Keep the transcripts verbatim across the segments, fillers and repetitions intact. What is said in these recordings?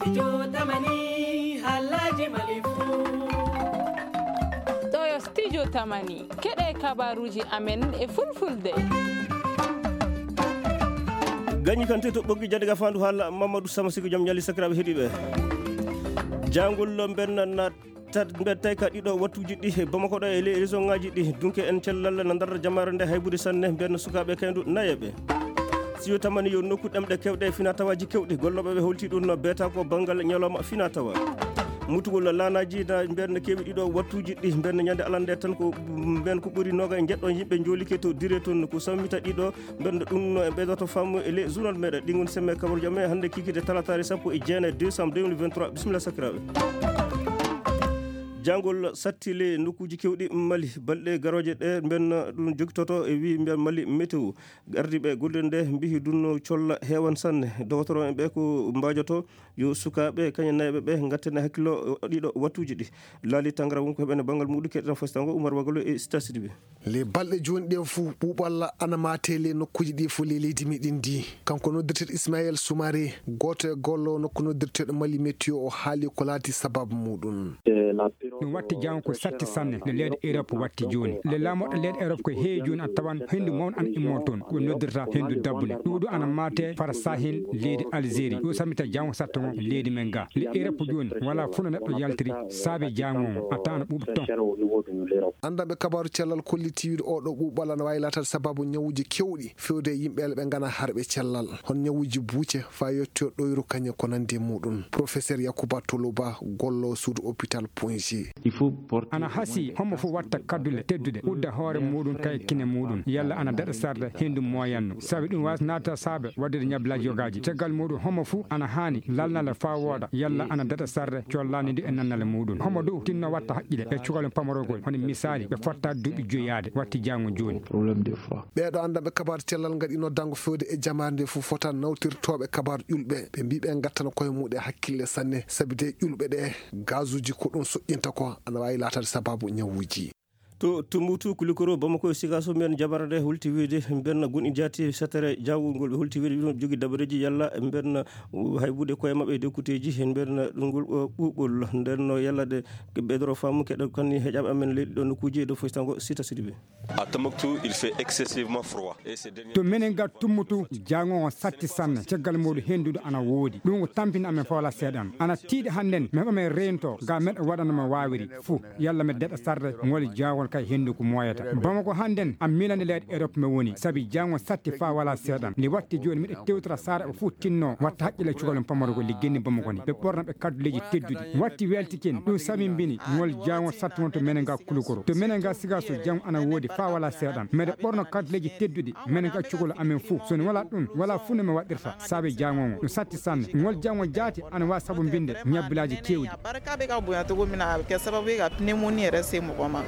Studio Tamani, haalaaji Mali fuu. Ɗo yo Studio Tamani, keɗe kabaruuji amen e fulfulde. Gañi kan te to ɓoggi jande ga fandu haala Mamadou Sama Siko jom ñali sakiraɓe heɗiɓe. Jangol lo mbenna na tad mbettay ka ɗiɗo wattuji ɗi he Bamako ɗo e ley région ngaji ɗi. Dunke en cellal na ndar jamare nde haybude sanne mbenna sukaɓe kaydu nayeɓe. Siyo tamani yo nokku ɗemɗe kewɗe e fina tawaji kewɗi golloɓe ɓe holti ɗum no beeta ko banngal ñalawma fina tawa. Mutugol laanaji na mbenna kewi ɗiɗo wattuji ɗi mbenna ñande alande tan ko mben ko ɓuri noga e jeɗɗo yimɓe jolike to dire toon ko sammita ɗiɗo. Mbenna ɗum no e ɓeydoto faamu e ley journal meɗen ɗi ngoni semme kabar jam e hannde kikide talatare sappo e jeenayi décembre deux mille vingt-trois. Bisimilla sakiraɓe. Jangol satti le nokkuji kewɗi Mali balɗe garoje ɗe mbenna ɗum jogitoto e wi mbiya Mali météo. Gardiiɓe golle nde mbihi dunno colla heewan sanne. Dogotoro en ɓe ko mbaajoto yo sukaaɓe kañe nayɓe ɓe ngattene hakkillo ɗiɗo wattuji ɗi. Laali tangara wonko heɓene banngal muɗum keɗen fostango Umar Wagalo e Sita Sidibe. Le balɗe jooni ɗen fuu ɓuuɓalla ana maate le nokkuji ɗi fof le leydi meɗen ndi. Kanko noddirteɗo Ismaël Soumaré, gooto e gollo nokku noddirteɗo Mali Météo, o haali ko laati sababu muɗum. Ɗum watti janngo ko satti sanne nde leyɗe Europe watti jooni. Le laamoɗo leyɗe Europe ko heewi jooni a tawan henndu mawɗo ana immoo toon, ko ɓe noddirta henndu dabbule. Ɗuuɗu ana maate fara sahin leydi Algérie. Ɗum sammita janngo satta ngon leydi men ga. Le Europe jooni wala fuu no neɗɗo yaltiri saabe janngo ngon a tawan ana ɓuuɓi toon. Anndanɓe kabaaru cellal kolliti wiide oo ɗoo ɓuuɓal ana waawi laataade sababu ñawuuji keewɗi fewde e yimɓe ɓe nganaa harɓe cellal. Hono ñawuuji buuce, faa yettoyo ɗoyru kañum ko nanndi e muɗum. Professeur Yacouba Toloba, gollo suudu hôpital Poinge. Ana hasii homo fof watta kaddule tedduɗe, udda hoore muɗum kay kine muɗum, yalla ana daɗa sarde henndu moyanno. Sabi ɗum waas naata saabe waɗude ñablaaji yogaaji. Caggal muɗum homo fof ana haani lalnala faa wooda, yalla ana daɗa sarde collaani ndu e nannale muɗum. Homo dow tinno watta haqqile e cukalel pamarogol, hono misaali ɓe fotta duuɓi joyaade watti jaango jooni. Ɓeeɗo anndanɓe kabaaru cellal ngaɗi noddango fewde e jamaare nde fof fota nawtirtooɓe kabaaru ƴulɓe. Ɓe mbii ɓe ngattana koye muɗum hakkille sanne, sabi de ƴulɓe ɗe gazuuji ko ɗum soƴƴinta ko ana waawi laataade sababu ñawuuji. To Tumbutu, Kulikoro, Bamako e Sikaso, mbiyen jabara nde holti wiyde mbiyen gonɗi jaati setere jawgol ngol ɓe holti wiyde ɗum jogi dabareeji yalla mbiyen haybude koye maɓɓe e dokkuteeji mbiyen ɗum ngol ɓuuɓol nden no yalla ɗe ɓeydoro faamu keɗo kanni heƴaɓe amen leydi ɗo nokkuuji e dow foytango Sita Sidibe. À Tombouctou, il fait excessivement froid. Et ces derniers To menen ga Tumbutu, jaango on satti sanne, caggal muɗum henndudu ana woodi. Ɗum ko tampini amen fawla seeɗan. Ana tiiɗi hannden, mi heɓa men reento, ga meɗa waɗano mo waawiri fuu. Yalla mi daɗa sarde, ngol jaangol kay henndu ko moyata. Bamako hannden, a miilani leyɗe Europe mi woni, sabi jaango satti faa wala seeɗan. Ndi watti jooni miɗa tewtora saara o fuu tinno, watta haqqille cukalon pamarugol ndi genni Bamako ni. Ɓe ɓorna ɓe kadduleeji tedduɗi. Watti weltikin, ɗum samimbini, ngol jaango satti won to menen ga Kulukoro. To menen ga Sigaso, jaango ana woodi faa wala seeɗan. Meɗe ɓorno kadduleeji tedduɗi, menen ga cukalon amen fuu. So ni wala ɗum, wala fuu no mi waɗirta, saabe jaango ngo. Ɗum satti sanne. Ngol jaango jaati, ana waa sabu mbinde, ñabbilaaji keewɗi. Barka bɛ ka bonya cogo min na, a bɛ kɛ sababu ye ka pneumonie yɛrɛ se mɔgɔ ma.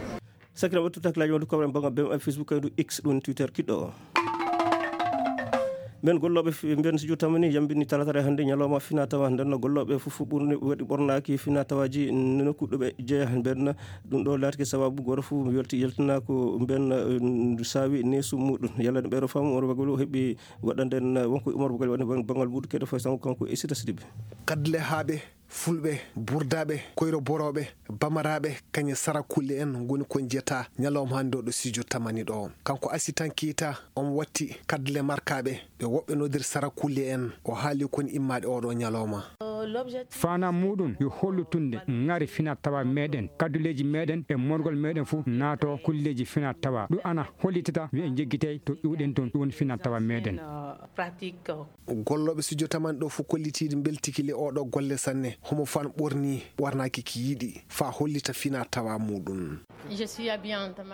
Sakira wattu taklaaji wonde koɓren bannga B M A Facebook kaydu X ɗum Twitter kiɗɗo o. Mben gollooɓe fi- mben studio tamani yambini talatare hannde ñalawma fina tawa nden no gollooɓe fof ɓurni waɗi ɓornaaki fina tawaaji nokku ɗo ɓe jeeya mben ɗum ɗo laatike sababu gooto fof welti yaltina ko mben eh, saawi neesu muɗum yalla no ɓeɗo faamu Omar Bagol o heɓi waɗande en wonko Omar Bagol waɗi banngal muɗum keɗo fay sango kanko e Sita Sidibe. Kaddule haaɓe, fulɓe, burdaaɓe, koyro borooɓe, bamaraaɓe, kañe sara kulle en ngoni ko njiyata ñalawma hannde o ɗo studio tamani ɗo. Kanko Asitan Keita, on watti kaddule markaaɓe, ɓe woɓɓe nodir sara kulle en. O haali kon immaade oɗo ñalawma. Faanaa muɗum yo hollutunde ŋari fina tawa meɗen, kadduleeji meɗen e morgol meɗen fof naato kulleeji fina tawa. Ɗum ana hollitata yo en jeggitey to iwɗen toon, ɗum woni fina tawa meɗen. Gollooɓe studio tamani ɗo fof kollitiiɗi mbeltiki le oɗo golle sanne. Homo fan ɓorni ɓornaaki ki yiɗi faa hollita fina tawa muɗum.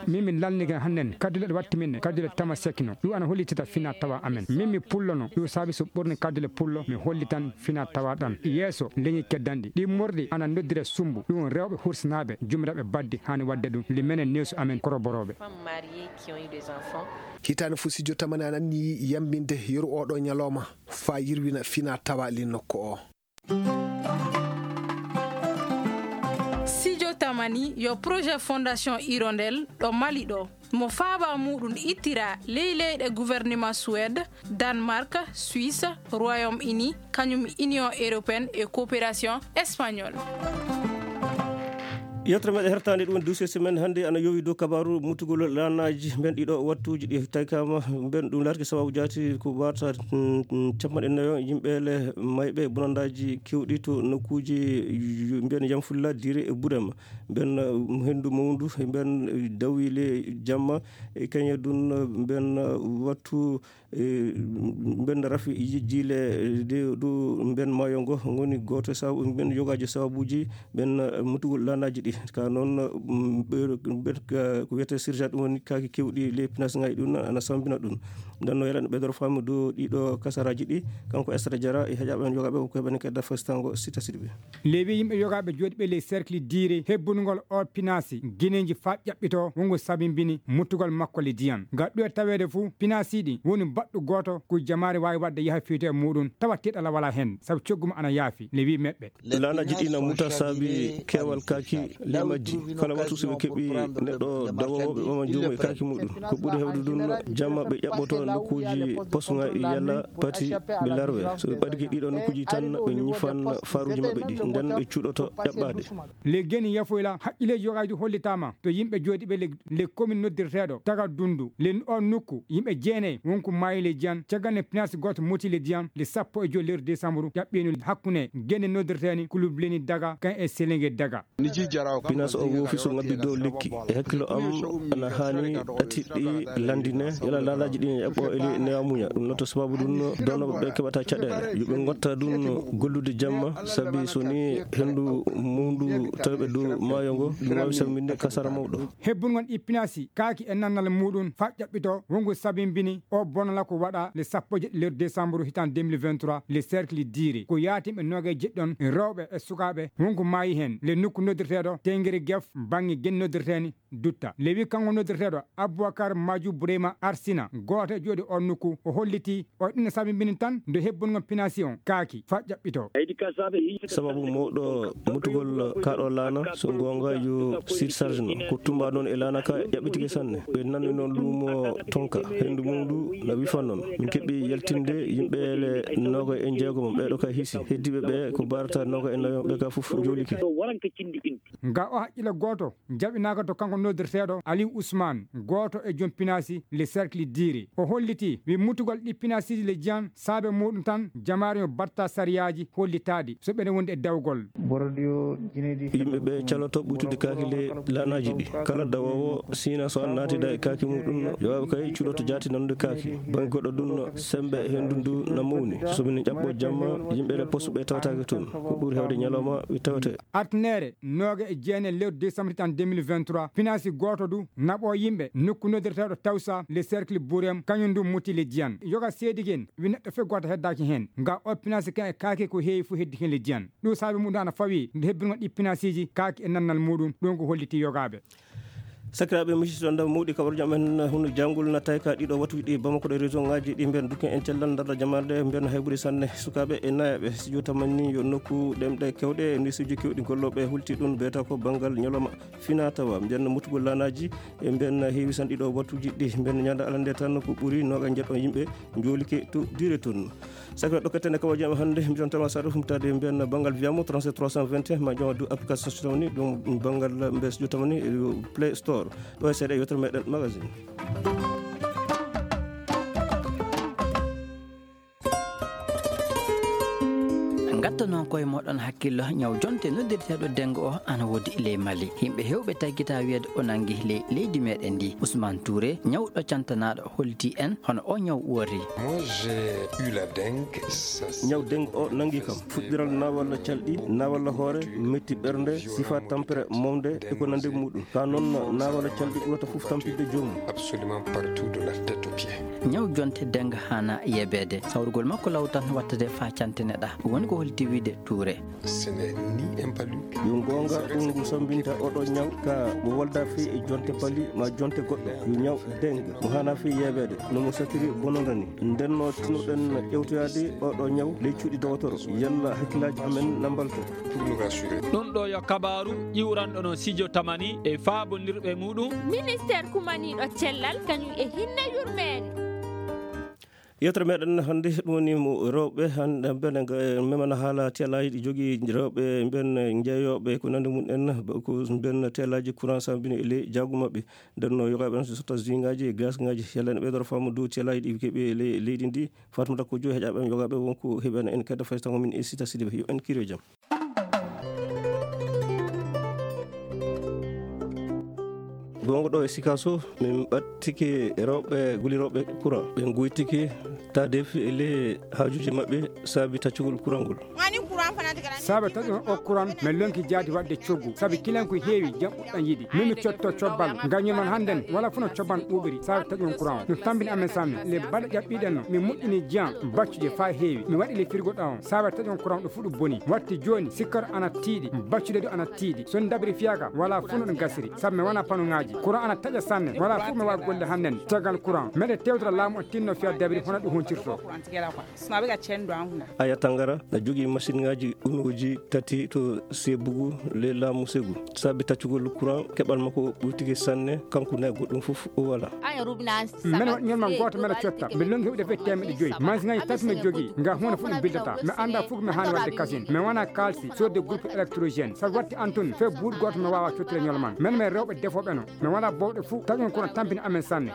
Min mi lalnike hannden kaddule ɗe watti min ɗe kaddule tama sekino. Ɗum ana hollitita fina tawa amen. Min mi pullono. Ɗum saabi so ɓorni kaddule pullo mi hollitan fina tawa ɗan. Yeeso leñi keddanɗi. Ɗi morɗi ana noddire sumbu. Ɗum rewɓe hursinaaɓe jumiraɓe baddi hani wadde ɗum. Li menen neesu amen koroborooɓe. Hitaande fof studio tamani ana anniyi yambinde yeru oɗo ñalawma faa yirwina fina tawa li nokku o. Studio Tamani yo projet Fondation Hirondelle ɗo Mali ɗo. Mo faaba muɗum ittira ley leyɗe gouvernement Suède, Danemark, Suisse, Royaume-Uni, kañum Union européenne e coopération espagnole. Yewtere meɗen hertaande ɗum woni dossier semaine hannde ana yowi dow kabaru mutugol laanaaji mben ɗiɗo wattuuji ɗi taykama mben ɗum laatke sababu jaati ko wata capanɗe nayo yimɓe le mayɓe bonandaaji kewɗi to nokkuuji mbiyan yamfulla dire e burema mben, henndu mawndu mben dawi le jamma e kañe ɗum mben wattu mben rafi jijjiile de ɗo mben maayo ngo ngoni gooto e sababu mben yogaaji sababuuji mben mutugol laanaaji ɗi ka noon. Ko wiyetee surcharge ɗum woni kaaki kewɗi les pinaas ngaji ɗum ana sambina ɗum. Ndenno yeɗan ɓeydoro faamu dow ɗiɗo kasaraaji ɗi. Kanko Esra Jara e heƴaaɓe men yogaaɓe ko heɓani kedda fastango sita siɗi ɓe. Lewi yimɓe yogaaɓe jooɗiiɓe ley cercle diire hebbunugol o pinaasi gineeji faa ƴaɓɓitoo wongo sabimbini muttugol makko le diyan. Ngal ɗuwe taweede fuu pinaasi ɗi woni baɗɗo gooto ko jamaare waawi waɗde yaha fiyto e muuɗum tawa tiiɗala walaa heen sabu coggu mo ana yaafi le wi meɓɓe. Laanaaji ɗi na muta saabi keewal kaaki le majji. Kala watu so ɓe keɓi neɗɗo dawoowo ɓe ɓama juumo e kaaki muɗum ko ɓuri heewde ɗum jamma ɓe ƴaɓɓoto nokkuuji posngaɗi yalla pati ɓe larwe. So ɓe ɓadike ɗiɗo nokkuuji tan ɓe ñifan faruuji maɓɓe ɗi nden ɓe cuɗoto ƴaɓɓaade. Le geni yafoyla haqqileeji yogaaji hollitaama to yimɓe jooɗiiɓe le le commune noddirteeɗo tagal dundu le o nokku yimɓe jeenayi wonko maayi le diyan caggal ne pinaasi gooto moti le diyan le sappo e joyi lewru décembre ƴaɓɓiino hakkunde gende noddirteeni kulub leni daga kan e selenge daga. Pinas o woofi so ngabbi dow lekki e hakkilo am ana haani ɗatiɗɗi landine yala laalaji ɗi eɓɓo eli newa muña ɗum noto sababu ɗum donnoɓe ɓe keɓata caɗele yoɓe gotta ɗum gollude jamma sabi so ni hendu mundu tawɓe dow maayo ngo ɗum wawi salminde kasara mawɗo. Hebbungol ɗi pinaasi kaaki e nannal muɗum fa ƴaɓɓito wongu sabimbini o bonala ko waɗa le sappo e jeɗɗi lewru décembre hitan deux mille vingt-trois le cercle diiri ko yaatimɓe noga e jeɗɗon rewɓe e sukaaɓe wonko maayi heen le nokku noddirteeɗo tengiri gef bannge gen noddirteeni dutta lewi kanko noddirteeɗo aboubacar maju boureyma arsina gooto e jooɗi on nokku o holliti o ɗum sabimbini tan nde hebbungol pinaasi on kaaki fa ƴaɓɓito. Sababu mawɗo mutugol kaɗo laana so gonga yo sir sarge no ko tumba noon e laana ka ƴaɓɓitike sanne ɓe nanni noon lumo tonka hendu mum ndu na wifa noon min keɓɓi yaltinde yimɓe le noga e jeego mum ɓeɗo ka hiisi heddiɓe ɓe ko barata noga e nayo ɓe ka fof jolike. Nga o haqqille gooto jaɓinaaka to kanko noddirteeɗo aliou ousmane gooto e joom pinaasi le cercle diiri o holliti wi mutugol ɗi pinaasiji le jiyan saabe muɗum tan jamaare yo batta sariyaaji hollitaaɗi so ɓeɗe wondi e dawgol. Yimɓe ɓe caloto ɓuytude kaaki le laanaaji ɗi kala dawoowo siina so an naatida e kaaki muɗum yowaaɓe kay cuɗoto jaati nanude kaaki bange goɗɗo ɗum sembe hendu ndu na mawni so min ƴaɓɓo jamma yimɓe le poste ɓe tawataake toon ko ɓuri hewde ñalawma ɓe tawete. Artinere nooga e jeenayi lewru décembre tan deux mille vingt-trois pinaasi gooto du naɓo yimɓe nokku noddirteeɗo tawsa le cercle bourem kañum du muti le jiyan yoga seedigen wi neɗɗo fof gooto heddaaki heen nga o pinaasi kan e kaake ko heewi fof heddi heen le jiyan ɗum saabi mum ɗo ana fawi nde hebbingol ɗi pinaasiiji kaake e nannal muɗum ɗum ko holliti yogaaɓe. Sakiraaɓe musiɗɗo ndam mawɗi kaɓar jam en hunu janngol natta ka ɗiɗo wattuji ɗi bamako ɗo région ngaji ɗi mbiyan dukken en cellal ndarɗa jamaɗe mbiyan haybude sanne sukaaɓe e nayaɓe studio tamani yo nokku ɗemɗe kewɗe e nisuji kewɗi golloɓe hulti ɗum mbiyata ko banngal ñalawma fina tawa mbiyan mutugol laanaji e mbiyan heewi san ɗiɗo wattuji ɗi mbiyan ñande alande tan ko ɓuri noga jeɗɗon yimɓe jolike to dire toon. Sakira ɗokkatene kawa jam hannde mbiɗon tama saɗa humtade mbiyan banngal wiyamo trente-sept trois cent vingt et un ma joma du application so tawni ɗum banngal mbes jo tawni play store ɗo e seeɗa yewtere meɗen magazine. Ngatto noon koye moɗon hakkillo ñaw jonte noddirteeɗo dengo o ana woodi ley mali yimɓe hewɓe taggita wiyeede o nangi ley leydi meɗen ndi ousmane touré ñawɗo cantanaɗo holti en hono o ñaw wori. Moi, j'ai eu la dengue. Ñaw dengue o nangi kam fuɗɗiral nawalla calɗi nawalla hoore metti ɓernde sifa tampere mawde e ko nande muɗum ka noon nawalla calɗi ɓurata fof tampinde joomum. Absolument partout de la tête au pied. Ñaw jonte dengue hana yebeede sawrugol makko law tan wattade fa cantine ɗa woni ko hol. Tiwide Touré. Yo goonga, ɗum ngu sammbinta oɗo ñaw ka mo wolda fii e jonte pali ma jonte goɗɗo. Yo ñaw dengue mo hana fii yeebeede no mo satiri bononda ni. Nden no tinnoɗen ƴewtoyaade oɗo ñaw ley cuuɗi dowotoro. Yalla hakkillaaji amen na mbalto. Ɗum ɗo yo kabaaru ƴiwranɗo no Sijo Tamani e faabondirɓe muɗum. Ministeer kumaniiɗo cellal kañum e hinne yurmeende. Yewtere meɗen hannde ɗum woni mo rewɓe hannde bene memana haala teelaaji ɗi jogii rewɓe mben jeeyooɓe ko nande mum en ko mben teelaaji courant sambini e ley jaagu maɓɓe. Nden no yogaaɓe on so sotta zingaaji e gasngaaji yalla ene ɓeydoro faamu dow teelaaji ɗi keɓi e ley leydi ndi. Fatmata Kojo heƴaaɓe en yogaaɓe wonko heɓi en en kadi faysango min e Sita Sidibe yo en kiro jam. Gongo ɗo e Sikaso min ɓattike rewɓe gulirooɓe courant ɓe goytike tadefi e ley haajuji maɓɓe saabi taccugol courant ngol. Saabe taƴon o courant min lonki jaadi waɗde coggu sabi kilen ko heewi jam ɓuɗɗan yiɗi min mi cotto cobbal ngam ñoman hannden wala funo cobban ɓuuɓiri saabe taƴon courant no tambini amen sanne le baɗa ƴaɓɓiɗen no mi moƴƴini jiyan baccuɗe faa heewi mi waɗi le firgo ɗawon saabe taƴon courant ɗo fuɗu boni watti jooni sikkar ana tiiɗi baccuɗe ɗo ana tiiɗi so dabiri fiyaka wala funo ɗo gasiri sabu mi wona panuŋaaji courant ana taƴa sanne wala fof mi wawa golle hannden caggal courant meɗe tewtora laamu o tinno fiya dabiri hono ɗum hontirto. Suma ɓe ga cendo an huna. Aya Tangara na jogii masiŋaaji unooji tati to Sebugu ley laamu Segu. Saabi taccugol courant keɓal makko ɓurtike sanne kanko na goɗɗum fof o wala. Mene waɗi ñolma gooto mene cotta mi longi heɓude fe temeɗe joyi masiŋaaji tati mi jogii nga huunde fof ɗum bildata mi annda fof ko mi haani waɗde kasin mi wona kaalsi sodde groupe électrogène sabu watti an tun fe buuɗi gooto mi wawa cottude ñolman mene men rewɓe defooɓe no. Mi wala bowɗe fuu taƴon kono tampini amen sanne.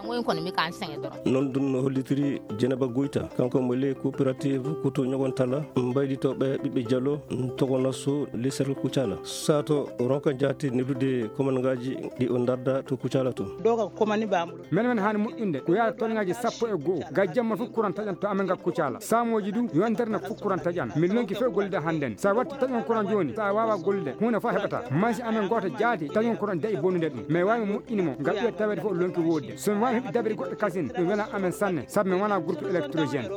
Noon ɗum no hollitiri Jenaba Goyta, kanko mo ley coopérative Kutu Ñogon Talla, mbaylitooɓe ɓiɓɓe Jalo, togonaso ley serkle Kucala. Sato ronka jaati neldude komangaaji ɗi o ndarda to Kucala to. Doga komani bambulo. Men men haani moƴƴinde ko yaata tolŋaaji sappo e go'o ga jamma fof courant taƴan to amen ga Kucala. Saamooji du yontere no fof courant taƴan. Min lonki fof gollida hannden. Sa watti taƴon courant jooni sa wawa gollude huunde fof heɓata. Masi amen gooto jaati taƴon kono dayi bonnude ɗum mais wawi moƴƴini mo ngam ɓiya tawede fof o lonki wodde somi wawi heɓi dabiri goɗɗo kasin ɗum wela amen sanne sabu mi wona groupe électrogène.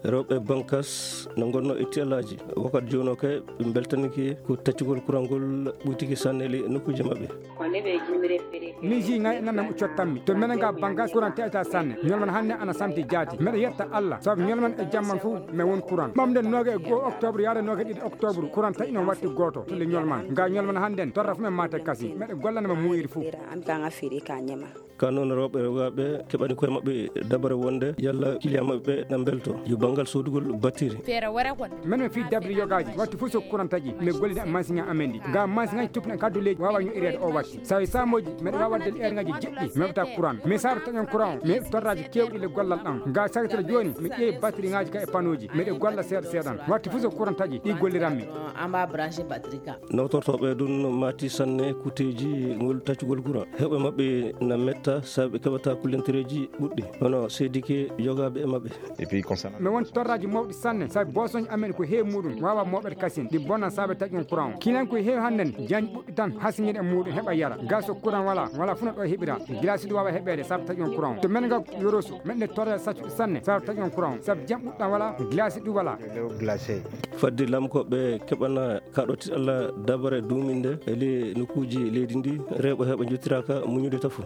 Rewɓe bankas no gonno e tiyalaji wakkati jono kay ɓe beltaniki ko taccugol kurangol ɓuytiki sanne le nokkuji maɓɓe. Min ji ngay nanam cottammi to menen ga bankas kuran teta sanne ñolman hanne ana samti jaati meɗa yetta allah sabu ñolman e jamman fof mais won courant ɓamde nooga e goo octobre yaade nooga e ɗiɗi octobre courant taƴi noon watti gooto tule ñolman nga ñolman hannden torra fof men mate kasi meɗe gollana ma muuyiri fof. An kan a firi ka ñema. Ka noon rewɓe rewgaaɓe keɓani koye maɓɓe dabare wonde yalla kiliya maɓɓe ɓe na mbelto yo banngal soodugol battiri. Feere wara kon. Men men fii dabri yogaaji watti fof so courant taƴi mi gollida masiŋa amen ɗi nga masiŋaji tupna kaddu leydi wawa ñoƴireede o watti sawi samoji meɗa wawa waɗde eerŋaaji jeɗɗi mi heɓata courant mi saabe taƴon courant o mi heɓi torraji kewɗi le gollal ɗam nga sagitata jooni mi ƴeewi batterie ŋaaji ka e panoji meɗe golla seeɗa seeɗan watti fof so courant taƴi ɗi golliranmi. Amba branché batterie ka. Nawtortooɓe ɗum maati sanne kuteeji ngol taccugol courant heɓɓe maɓɓe na metta sabu ɓe keɓata kullentereeji ɓuɗɗi hono seedike yogaaɓe e maɓɓe. Mi won torraji mawɗi sanne sabu bosoji amen ko heewi muɗum wawa moɓere kasin ɗi bonna saabe taƴon courant o kinan ko heewi hannden jañ ɓuɗɗi tan hasiñiɗe muɗum heɓa yara gaso courant wala wala funa ɗo heɓira gilasi ɗi wawa heɓede saabe taƴon courant o to men ga yorosu men ɗe torra saccuɗi sanne saabe taƴon courant o saabu jam ɓuɗɗan wala gilasi ɗi wala. Fadde lamkoɓe keɓana kaɗoti allah dabare duminde ele nokkuji leydi ndi rewɓe heɓe jottiraka muñude tafo.